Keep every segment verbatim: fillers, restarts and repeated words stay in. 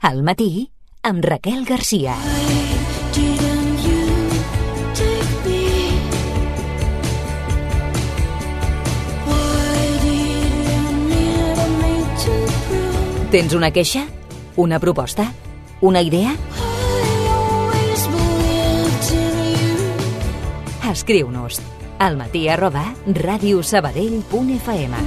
Al matí, amb Raquel Garcia. Tens una queixa? Una proposta? Una idea? Escriu-nos al matí arroba radiosabadell punt f m.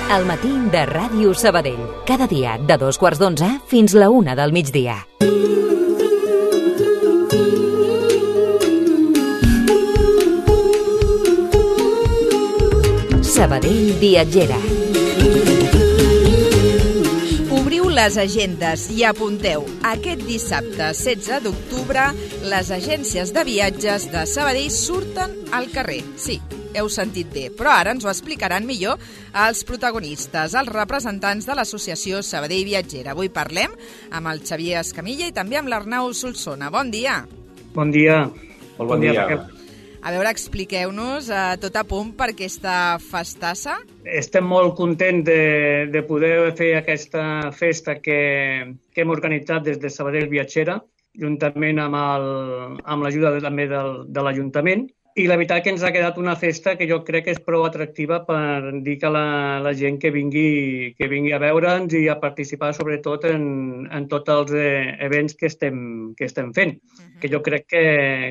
El matí de Ràdio Sabadell. Cada dia de dos quarts d'onze fins la una del migdia. Sabadell Viatgera. Obriu les agendes i apunteu. Aquest dissabte, setze d'octubre, les agències de viatges de Sabadell surten al carrer. Sí, heu sentit bé, però ara ens ho explicaran millor els protagonistes, els representants de l'associació Sabadell Viatgera. Avui parlem amb el Xavier Escamilla i també amb l'Arnau Solsona. Bon dia. Bon dia. Molt bon dia. Raquel. A veure, expliqueu-nos eh, tot a punt per aquesta festassa. Estem molt contents de, de poder fer aquesta festa que, que hem organitzat des de Sabadell Viatgera, juntament amb el, amb l'ajuda també del, de l'Ajuntament. I la veritat que ens ha quedat una festa que jo crec que és prou atractiva per dir que la, la gent que vingui, que vingui a veure'ns i a participar sobretot en, en tots els eh, events que estem, que estem fent, uh-huh. que jo crec que,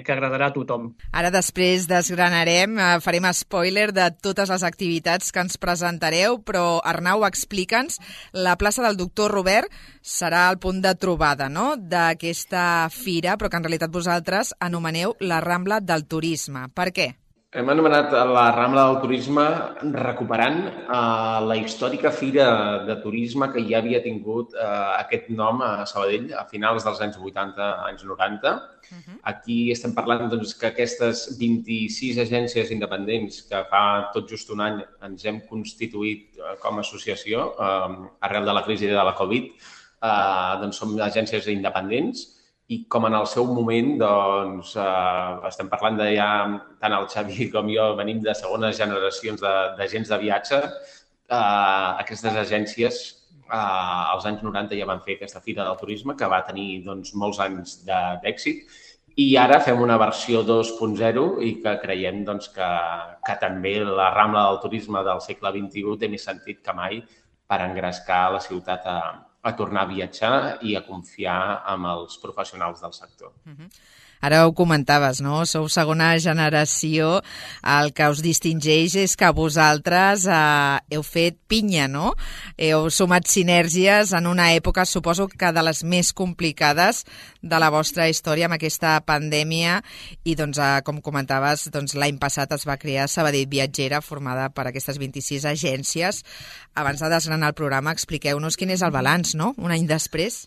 que agradarà a tothom. Ara després desgranarem, eh, farem spoiler de totes les activitats que ens presentareu, però Arnau, explica'ns, la plaça del Doctor Robert serà el punt de trobada, no?, d'aquesta fira, però que en realitat vosaltres anomeneu la Rambla del Turisme. Per què? Hem anomenat la Rambla del Turisme recuperant uh, la històrica fira de turisme que ja havia tingut uh, aquest nom a Sabadell a finals dels anys vuitanta, anys noranta. Uh-huh. Aquí estem parlant doncs, que aquestes vint-i-sis agències independents que fa tot just un any ens hem constituït uh, com a associació uh, arrel de la crisi de la Covid, uh, doncs som agències independents. I com en el seu moment, doncs, eh, estem parlant de ja, tant el Xavi com jo venim de segones generacions d'agents de, de viatge, eh, aquestes agències eh, als anys noranta ja van fer aquesta fira del turisme que va tenir doncs, molts anys d'èxit i ara fem una versió dos punt zero i que creiem doncs, que, que també la Rambla del Turisme del segle vint-i-u té més sentit que mai per engrescar la ciutat a a tornar a viatjar i a confiar en els professionals del sector. Uh-huh. Ara ho comentaves, no? Sou segona generació. El que us distingeix és que vosaltres eh, heu fet pinya, no? Heu sumat sinergies en una època, suposo que de les més complicades de la vostra història amb aquesta pandèmia i, doncs, eh, com comentaves, doncs, l'any passat es va crear Sabadell Viatgera, formada per aquestes vint-i-sis agències. Abans de desgranar el programa, expliqueu-nos quin és el balanç, no?, un any després.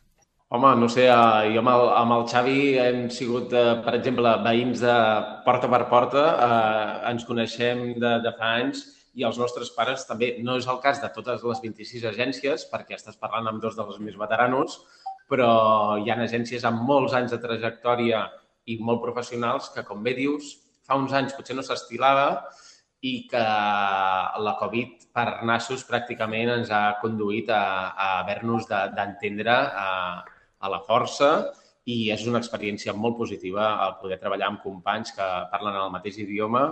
Home, no sé, jo amb el, amb el Xavi hem sigut, per exemple, veïns de porta per porta, eh, ens coneixem de, de fa anys i els nostres pares també. No és el cas de totes les vint-i-sis agències, perquè estàs parlant amb dos dels més veteranos, però hi ha agències amb molts anys de trajectòria i molt professionals que, com bé dius, fa uns anys potser no s'estilava i que la Covid per nassos pràcticament ens ha conduït a, a haver-nos d'entendre a, a la força i és una experiència molt positiva el poder treballar amb companys que parlen el mateix idioma,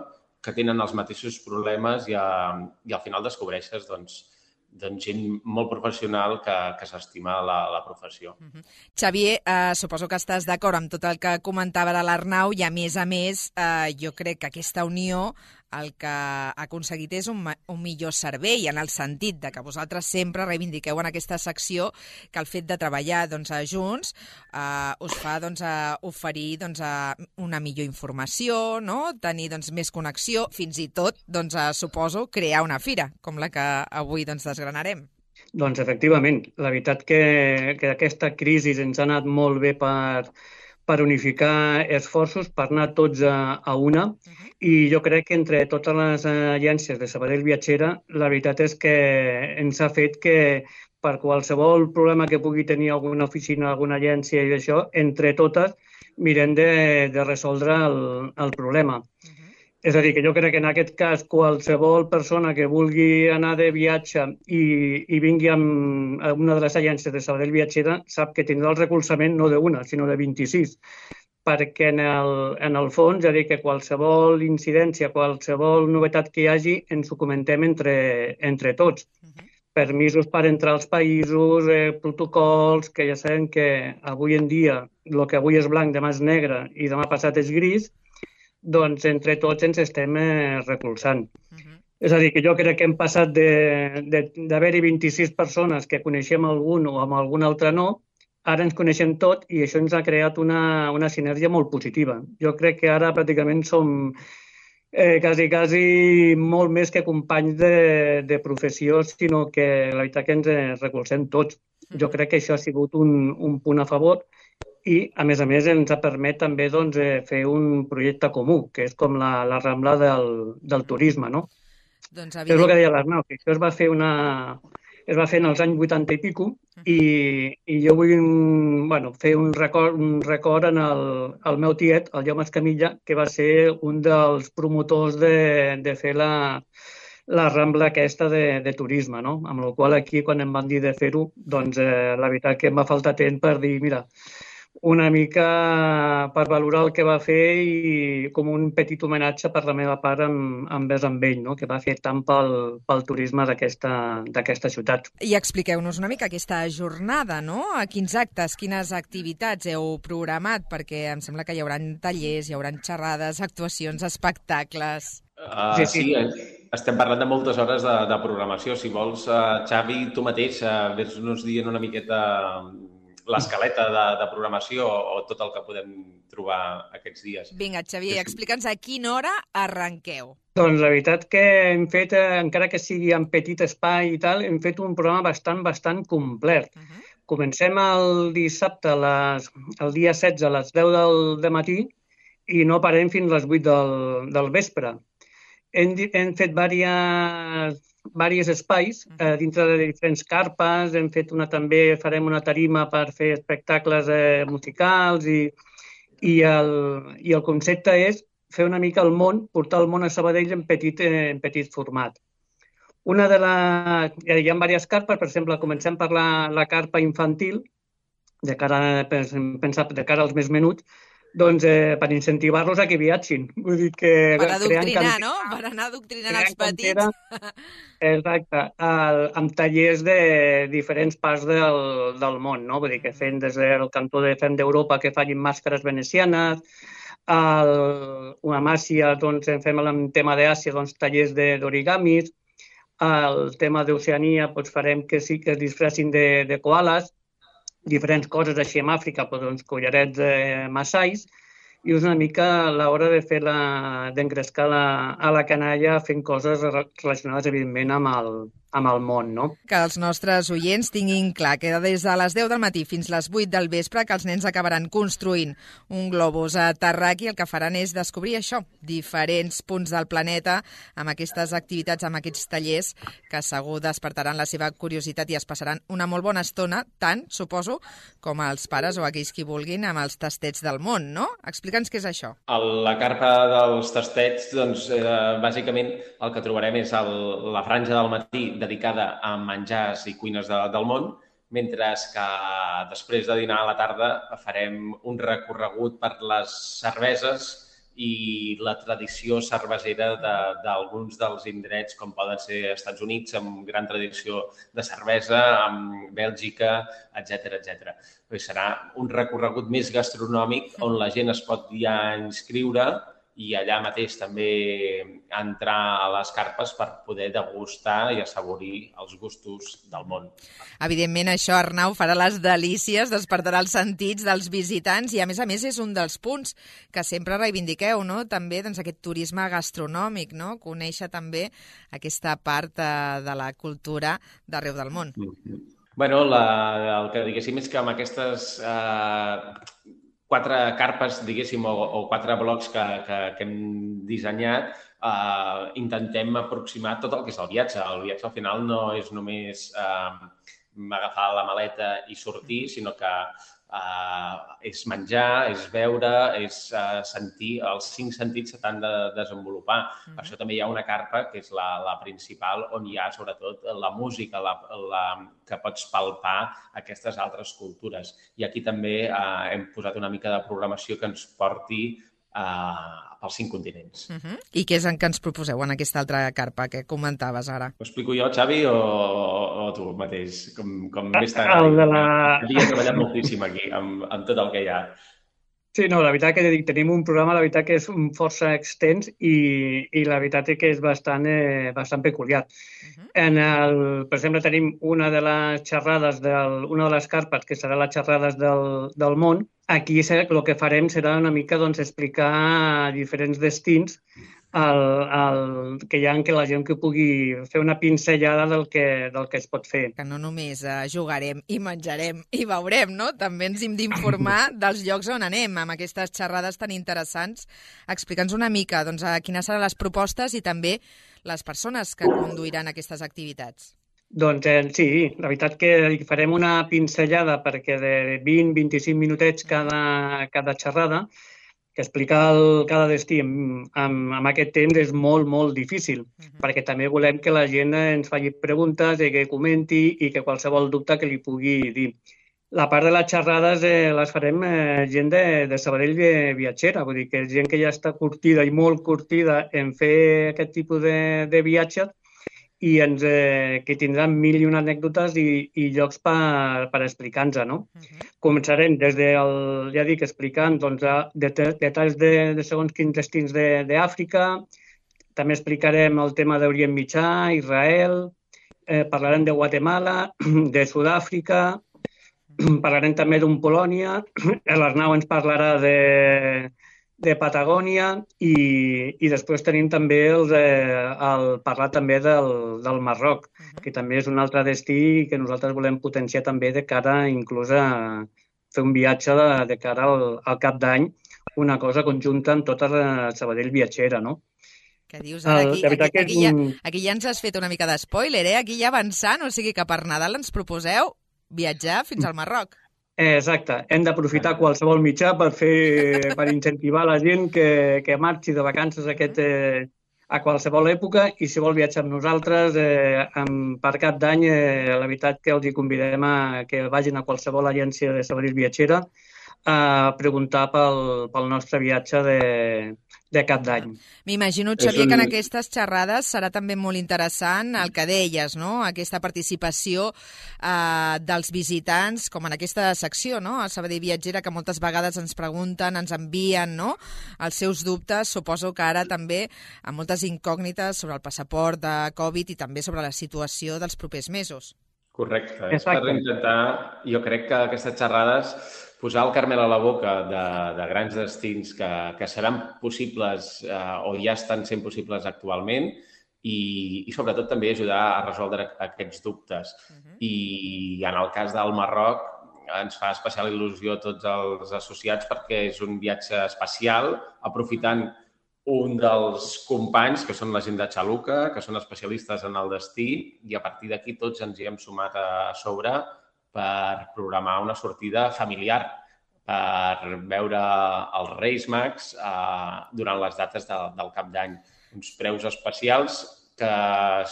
que tenen els mateixos problemes i, a, i al final descobreixes doncs, doncs gent molt professional que, que s'estima la, la professió. Uh-huh. Xavier, eh, suposo que estàs d'acord amb tot el que comentava de l'Arnau i, a més a més, eh, jo crec que aquesta unió el que ha aconseguit és un, un millor servei, en el sentit de que vosaltres sempre reivindiqueu en aquesta secció que el fet de treballar doncs, junts eh, us fa doncs, a oferir doncs, a una millor informació, no? Tenir doncs, més connexió, fins i tot, doncs, a, suposo, crear una fira, com la que avui doncs, desgranarem. Doncs efectivament, la veritat que, que aquesta crisi ens ha anat molt bé per, per unificar esforços, per anar tots a, a una. Uh-huh. I jo crec que entre totes les agències de Sabadell Viatgera, la veritat és que ens ha fet que per qualsevol problema que pugui tenir alguna oficina, alguna agència i això, entre totes mirem de, de resoldre el, el problema. Uh-huh. És a dir, que jo crec que en aquest cas qualsevol persona que vulgui anar de viatge i, i vingui amb, a una de les agències de Sabadell Viatgera sap que tindrà el recolzament no d'una, sinó de vint-i-sis, perquè en el, en el fons, és a dir, que qualsevol incidència, qualsevol novetat que hi hagi, ens ho comentem entre, entre tots. Uh-huh. Permisos per entrar als països, eh, protocols, que ja sabem que avui en dia el que avui és blanc, demà és negre i demà passat és gris, doncs entre tots ens estem eh, recolzant. Uh-huh. És a dir, que jo crec que hem passat d'haver-hi vint-i-sis persones que coneixem algun o amb algun altre no, ara ens coneixem tot i això ens ha creat una, una sinergia molt positiva. Jo crec que ara pràcticament som eh, quasi, quasi molt més que companys de, de professió, sinó que la veritat que ens recolzem tots. Jo crec que això ha sigut un, un punt a favor i, a més a més, ens ha permès també doncs, fer un projecte comú, que és com la, la Rambla del, del turisme, no? Doncs, evident... És el que deia l'Arnau, que això es va fer una... es va fer en els anys vuitanta i pico i, i jo vull bueno, fer un record, un record en el, el meu tiet, el Jaume Escamilla, que va ser un dels promotors de, de fer la, la Rambla aquesta de, de turisme, no? Amb la qual aquí, quan em van dir de fer-ho, doncs eh, la veritat que em va faltar temps per dir, mira, una mica per valorar el que va fer i com un petit homenatge per la meva part amb, envers amb ell, no? Que va fer tant pel, pel turisme d'aquesta ciutat. I expliqueu-nos una mica aquesta jornada, no? A quins actes, quines activitats heu programat? Perquè em sembla que hi haurà tallers, hi haurà xerrades, actuacions, espectacles... Uh, sí, sí. sí, estem parlant de moltes hores de, de programació. Si vols, uh, Xavi, tu mateix, uh, vés-nos dient una miqueta l'escaleta de, de programació o tot el que podem trobar aquests dies. Vinga, Xavier, explica'ns a quina hora arrenqueu. Doncs la veritat que hem fet, encara que sigui en petit espai i tal, hem fet un programa bastant, bastant complet. Uh -huh. Comencem el dissabte, les, el dia setze, a les deu del, de matí i no parem fins a les vuit del, del vespre. Hem, hem fet diverses... diversos espais eh, dintre de diferents carpes, hem fet una també, farem una tarima per fer espectacles eh, musicals i, i, el, i el concepte és fer una mica el món, portar el món a Sabadell en petit, eh, en petit format. Una de la... Hi ha diverses carpes, per exemple, comencem per la, la carpa infantil, de cara, pensar, de cara als més menuts, doncs eh, per incentivar-los a que viatgin. Vull dir que... Per adoctrinar, no? Per anar adoctrinant els petits. Cantera, exacte, el, amb tallers de diferents parts del, del món, no? Vull dir que fem des del cantó de Fem d'Europa que facin màscares venecianes, el, una Màcia, doncs en fem el tema d'Àsia, doncs tallers d'origamis, el tema d'Oceania, doncs farem que sí que es disfressin de, de koalas, diferents coses així en Àfrica, doncs collarets eh, massais, i és una mica l'hora de fer la, d'engrescar la, a la canalla fent coses relacionades, evidentment, amb el, amb el món, no? Que els nostres oients tinguin clar que des de les deu del matí fins les vuit del vespre que els nens acabaran construint un globus terraqüi, el que faran és descobrir això, diferents punts del planeta, amb aquestes activitats, amb aquests tallers, que segur despertaran la seva curiositat i es passaran una molt bona estona, tant, suposo, com els pares o aquells qui vulguin amb els tastets del món, no? Explica'ns què és això. La carpa dels tastets, doncs, eh, bàsicament el que trobarem és el, la franja del matí dedicada a menjars i cuines de, del món, mentre que després de dinar a la tarda farem un recorregut per les cerveses i la tradició cervesera d'alguns de, dels indrets, com poden ser Estats Units, amb gran tradició de cervesa, amb Bèlgica, etcètera, etcètera. Serà un recorregut més gastronòmic on la gent es pot ja inscriure i allà mateix també entrar a les carpes per poder degustar i assaborir els gustos del món. Evidentment, això, Arnau, farà les delícies, despertarà els sentits dels visitants i, a més a més, és un dels punts que sempre reivindiqueu, no? També doncs, aquest turisme gastronòmic, no? Conèixer també aquesta part de, de la cultura d'arreu del món. Mm-hmm. Bueno, la, el que diguéssim és que amb aquestes... Eh, quatre carpes, diguéssim, o, o quatre blocs que, que, que hem dissenyat, eh, intentem aproximar tot el que és el viatge. El viatge al final no és només eh, agafar la maleta i sortir, sinó que Uh, és menjar, és veure, és uh, sentir, els cinc sentits s'han de desenvolupar. Mm-hmm. Per això també hi ha una carpa, que és la, la principal, on hi ha sobretot la música, la, la, que pots palpar aquestes altres cultures. I aquí també uh, hem posat una mica de programació que ens porti uh, pels cinc continents. Uh-huh. I què és en què ens proposeu en aquesta altra carpa que comentaves ara? Ho explico jo, Xavi, o, o tu mateix? Com, com més tard. El de la... Havia treballat moltíssim aquí, amb, amb tot el que hi ha. Sí, no, la veritat que dic, tenim un programa, la veritat que és força extens i, i la veritat és que és bastant, eh, bastant peculiar. Uh-huh. En el, per exemple, tenim una de les xerrades, del, una de les carpes, que serà les xerrades del, del món. Aquí el que farem serà una mica doncs, explicar diferents destins el, el, que hi ha en què la gent que pugui fer una pinzellada del que, del que es pot fer. Que no només uh, jugarem i menjarem i veurem, no? També ens hem d'informar dels llocs on anem, amb aquestes xerrades tan interessants. Explica'ns una mica doncs, a quines seran les propostes i també les persones que conduiran aquestes activitats. Doncs eh, sí, la veritat que farem una pinzellada perquè de vint a vint-i-cinc minutets cada, cada xerrada, que explicar el, cada destí amb, amb, amb aquest temps és molt, molt difícil, uh-huh. perquè també volem que la gent ens faci preguntes i que comenti i que qualsevol dubte que li pugui dir. La part de les xerrades eh, les farem eh, gent de, de Sabadell viatgera, vull dir que gent que ja està curtida i molt curtida en fer aquest tipus de, de viatges i ens, eh, que tindran mil i una anècdotes i, i llocs per, per explicar-nos, no? Uh-huh. Començarem des del, ja dic, explicant doncs, de, de, detalls de, de segons quins destins d'Àfrica, també explicarem el tema d'Orient Mitjà, Israel, eh, parlarem de Guatemala, de Sud-àfrica, parlarem també d'un Polònia, l'Arnau ens parlarà de... de Patagònia i, i després tenim també el, de, el parlar també del, del Marroc, uh-huh. que també és un altre destí que nosaltres volem potenciar també de cara inclús a fer un viatge de, de cara al, al cap d'any, una cosa conjunta amb tota la Sabadell viatgera, no? Que dius, ara aquí, aquí, aquí, aquí, ja, aquí ja ens has fet una mica d'espoiler, eh? Aquí ja avançant, o sigui que per Nadal ens proposeu viatjar fins al Marroc. Exacte, hem d'aprofitar qualsevol mitjà per fer, per incentivar la gent que, que marxi de vacances aquest, eh, a qualsevol època i si vol viatjar amb nosaltres eh, amb, per cap d'any, eh, la veritat que els hi convidem a que vagin a qualsevol agència de Sabadell viatgera a preguntar pel, pel nostre viatge de, de cap d'any. M'imagino, Xavier, un... que en aquestes xerrades serà també molt interessant el que deies, no? Aquesta participació eh, dels visitants, com en aquesta secció, no? A Sabadell Viatgera, que moltes vegades ens pregunten, ens envien, no? Els seus dubtes. Suposo que ara també amb moltes incògnites sobre el passaport de Covid i també sobre la situació dels propers mesos. Correcte. És per intentar, jo crec que aquestes xerrades posar el Carmel a la boca de, de grans destins que, que seran possibles eh, o ja estan sent possibles actualment i, i sobretot també ajudar a resoldre aquests dubtes. Uh-huh. I en el cas del Marroc ens fa especial il·lusió a tots els associats perquè és un viatge especial, aprofitant un dels companys, que són la gent de Xaluca, que són especialistes en el destí, i a partir d'aquí tots ens hi hem sumat a sobre per programar una sortida familiar, per veure els Reis Mags eh, durant les dates de, del cap d'any. Uns preus especials que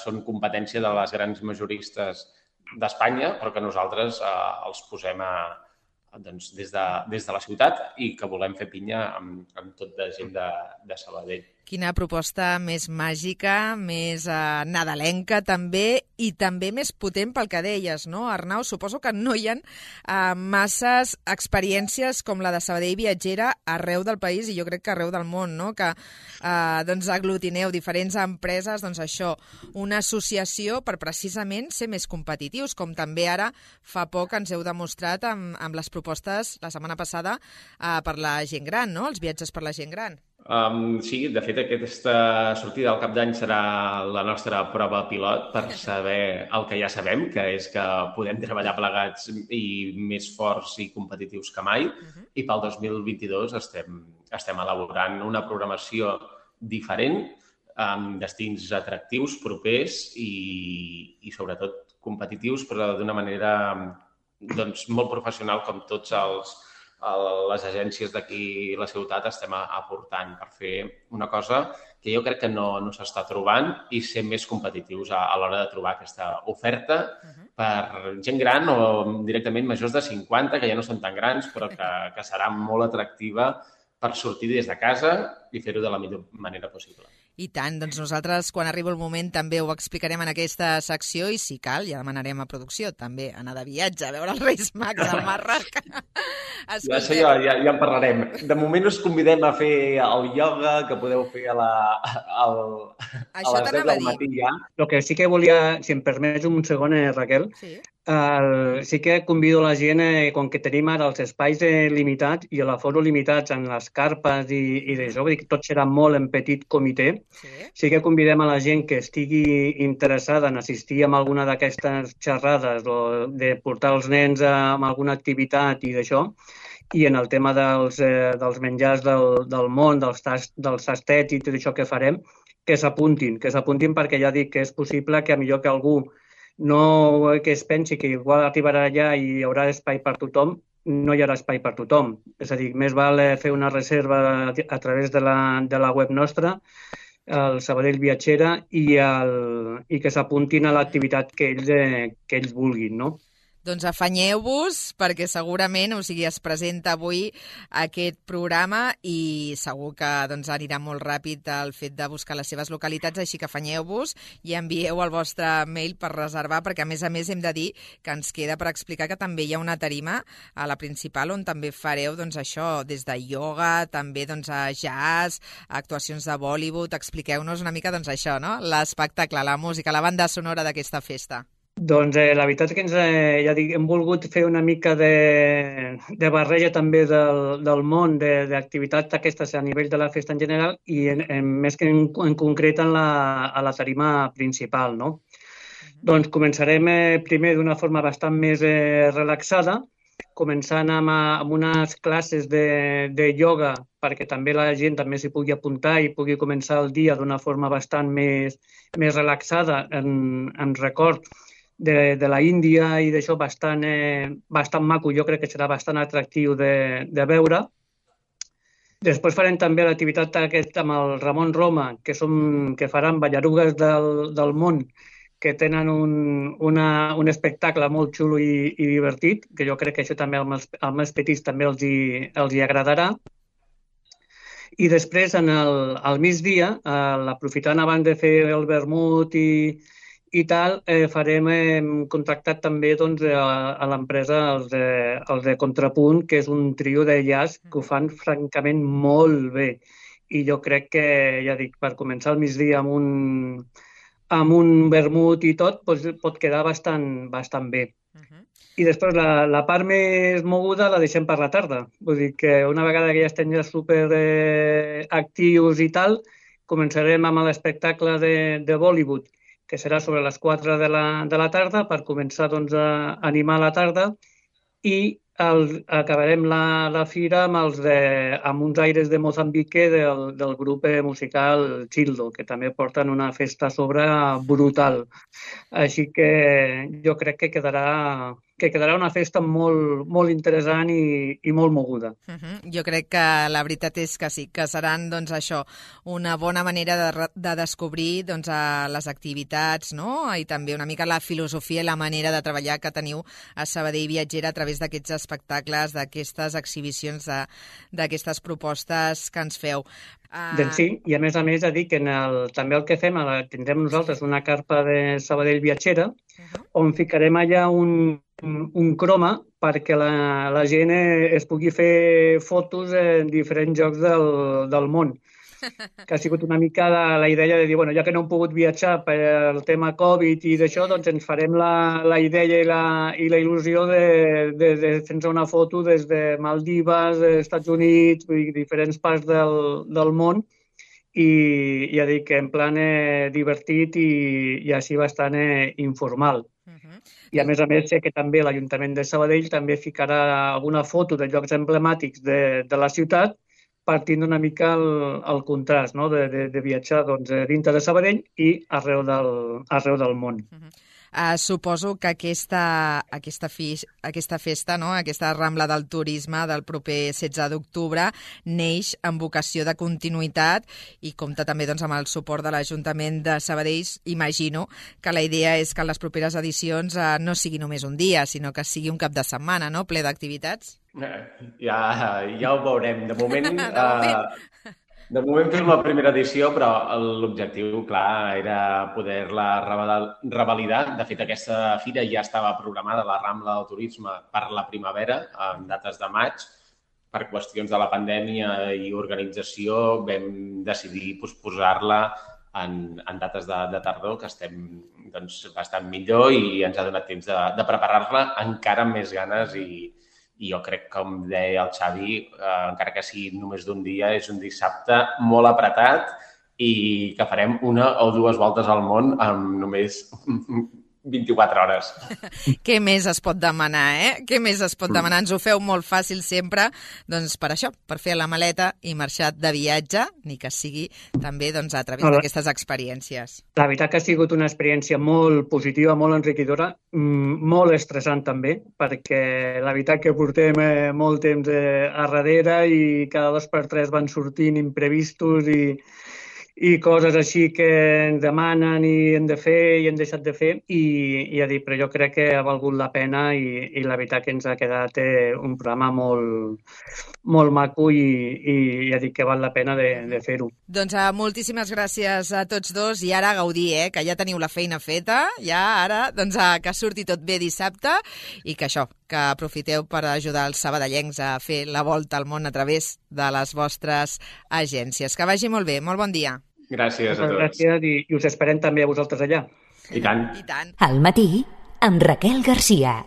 són competència de les grans majoristes d'Espanya, però que nosaltres eh, els posem a, doncs, des, de, des de la ciutat i que volem fer pinya amb, amb tot de gent de, de Sabadell. Quina proposta més màgica, més eh, nadalenca també i també més potent pel que deies, no, Arnau? Suposo que no hi ha eh, masses experiències com la de Sabadell Viatgera arreu del país i jo crec que arreu del món, no? Que eh, doncs aglutineu diferents empreses, doncs això, una associació per precisament ser més competitius, com també ara fa poc ens heu demostrat amb, amb les propostes la setmana passada eh, per la gent gran, no? Els viatges per la gent gran. Um, sí, de fet, aquesta sortida al cap d'any serà la nostra prova pilot per saber el que ja sabem, que és que podem treballar plegats i més forts i competitius que mai. Uh-huh. I pel dos mil vint-i-dos estem, estem elaborant una programació diferent, amb destins atractius, propers i, i sobretot competitius, però d'una manera doncs, molt professional com tots els, les agències d'aquí la ciutat estem aportant per fer una cosa que jo crec que no, no s'està trobant i ser més competitius a, a l'hora de trobar aquesta oferta uh-huh. per gent gran o directament majors de cinquanta, que ja no són tan grans, però que, que serà molt atractiva per sortir des de casa i fer-ho de la millor manera possible. I tant, doncs nosaltres quan arribi el moment també ho explicarem en aquesta secció i si cal ja demanarem a producció també anar de viatge a veure els Reis Mags al Marroc. Ja, això ja, ja, ja en parlarem. De moment us convidem a fer el ioga que podeu fer a, la, a, a les deu del matí ja. El que sí que volia, si em permets un segon, eh, Raquel, sí. Uh, sí que convido la gent, eh, com que tenim ara els espais eh, limitats i l'aforo limitats en les carpes i, i d'això, vull dir que tot serà molt en petit comitè, sí. sí que convidem a la gent que estigui interessada en assistir a alguna d'aquestes xerrades o de portar els nens a, a alguna activitat i d'això, i en el tema dels, eh, dels menjars del, del món, dels, tas, dels tastets i tot això que farem, que s'apuntin, que s'apuntin perquè ja dic que és possible que a millor que algú no que es pensi que igual arribarà allà i hi haurà espai per tothom, no hi haurà espai per tothom. És a dir, més val fer una reserva a través de la, de la web nostra, el Sabadell Viatxera, i, el, i que s'apuntin a l'activitat que ells, eh, que ells vulguin, no? Doncs afanyeu-vos perquè segurament, o sigui, es presenta avui aquest programa i segur que doncs, anirà molt ràpid el fet de buscar les seves localitats, així que afanyeu-vos i envieu el vostre mail per reservar, perquè a més a més hem de dir que ens queda per explicar que també hi ha una tarima a la principal on també fareu doncs, això, des de ioga, també doncs, a jazz, actuacions de Bollywood. Expliqueu-nos una mica doncs, això, no? L'espectacle, la música, la banda sonora d'aquesta festa. Doncs eh, la veritat és que ens, eh, ja dic, hem volgut fer una mica de, de barreja també del, del món d'activitats aquestes a nivell de la festa en general i en, en, més que en, en concret en la, a la tarima principal, no? Uh-huh. Doncs començarem eh, primer d'una forma bastant més eh, relaxada, començant amb, amb unes classes de, de ioga perquè també la gent també s'hi pugui apuntar i pugui començar el dia d'una forma bastant més, més relaxada en, en record de, de la Índia i d'això bastant, eh, bastant maco, jo crec que serà bastant atractiu de, de veure. Després farem també l'activitat aquest amb el Ramon Roma, que, som, que faran ballarugues del, del món, que tenen un, una, un espectacle molt xulo i, i divertit, que jo crec que això també als, als més petits també els hi, els hi agradarà. I després, en el, al migdia, eh, aprofitant abans de fer el vermut i, i tal, eh, farem, hem contactat també doncs, a, a l'empresa els de, els de Contrapunt, que és un trio de jazz que ho fan francament molt bé. I jo crec que, ja dic, per començar el migdia amb un, amb un vermut i tot, doncs, pot quedar bastant, bastant bé. Uh-huh. I després la, la part més moguda la deixem per la tarda. Vull dir que una vegada que ja estem ja super eh, actius i tal, començarem amb l'espectacle de, de Bollywood, que serà sobre les quatre de la, de la tarda, per començar doncs, a animar la tarda, i el, acabarem la, la fira amb, els de, amb uns aires de Mozambique del, del grup musical Childo, que també porten una festa a sobre brutal. Així que jo crec que quedarà, que quedarà una festa molt, molt interessant i, i molt moguda. Uh-huh. Jo crec que la veritat és que sí, que seran doncs, això, una bona manera de, de descobrir doncs, les activitats, no? I també una mica la filosofia i la manera de treballar que teniu a Sabadell Viatxera a través d'aquests espectacles, d'aquestes exhibicions, d'aquestes propostes que ens feu. Uh... Doncs sí, i a més a més a dir que en el, també el que fem, tindrem nosaltres una carpa de Sabadell Viatxera, uh-huh. on ficarem allà un, un croma perquè la, la gent es pugui fer fotos en diferents llocs del, del món. Que ha sigut una mica la, la idea de dir, bueno, ja que no hem pogut viatjar per el tema Covid i d'això, doncs ens farem la, la idea i la, i la il·lusió de, de, de fer-nos una foto des de Maldives, Estats Units, vull dir, diferents parts del, del món, i ja dic que en plan eh, divertit i, i així bastant eh, informal. Uh-huh. I a més a més sé que també l'Ajuntament de Sabadell també ficarà alguna foto de llocs emblemàtics de, de la ciutat partint una mica el, el contrast, no? de, de, de viatjar doncs, dintre de Sabadell i arreu del, arreu del món. Uh-huh. Uh, suposo que aquesta, aquesta, fi, aquesta festa, no? Aquesta Rambla del Turisme del proper setze d'octubre neix amb vocació de continuïtat i compta també doncs, amb el suport de l'Ajuntament de Sabadell. Imagino que la idea és que en les properes edicions uh, no sigui només un dia, sinó que sigui un cap de setmana, no? Ple d'activitats. Ja, ja ho veurem. De moment... de moment... Uh... De moment fem la primera edició, però l'objectiu, clar, era poder-la revalidar. De fet, aquesta fira ja estava programada, la Rambla del Turisme, per la primavera, en dates de maig. Per qüestions de la pandèmia i organització vam decidir posposar-la en, en dates de, de tardor, que estem doncs, bastant millor i ens ha donat temps de, de preparar-la encara amb més ganes i I jo crec, com deia el Xavi, eh, encara que sigui només d'un dia, és un dissabte molt apretat i que farem una o dues voltes al món amb només vint-i-quatre hores. Què més es pot demanar, eh? Què més es pot demanar? Ens ho feu molt fàcil sempre, doncs per això, per fer la maleta i marxar de viatge, ni que sigui també doncs, a través d'aquestes experiències. La veritat que ha sigut una experiència molt positiva, molt enriquidora, molt estressant també, perquè la veritat que portem molt temps a darrere i cada dos per tres van sortint imprevistos i i coses així que ens demanen i hem de fer i hem deixat de fer i, i ja dic, però jo crec que ha valgut la pena i, i la veritat que ens ha quedat un programa molt, molt maco i, i ja dic que val la pena de, de fer-ho. Doncs uh, moltíssimes gràcies a tots dos i ara a gaudir, eh, que ja teniu la feina feta, ja ara doncs, uh, que surti tot bé dissabte i que això, que aprofiteu per ajudar els sabadellencs a fer la volta al món a través de les vostres agències. Que vagi molt bé, molt bon dia. Gràcies a tots. Gràcies i, i us esperem també a vosaltres allà. I tant. I tant. Al matí, amb Raquel Garcia.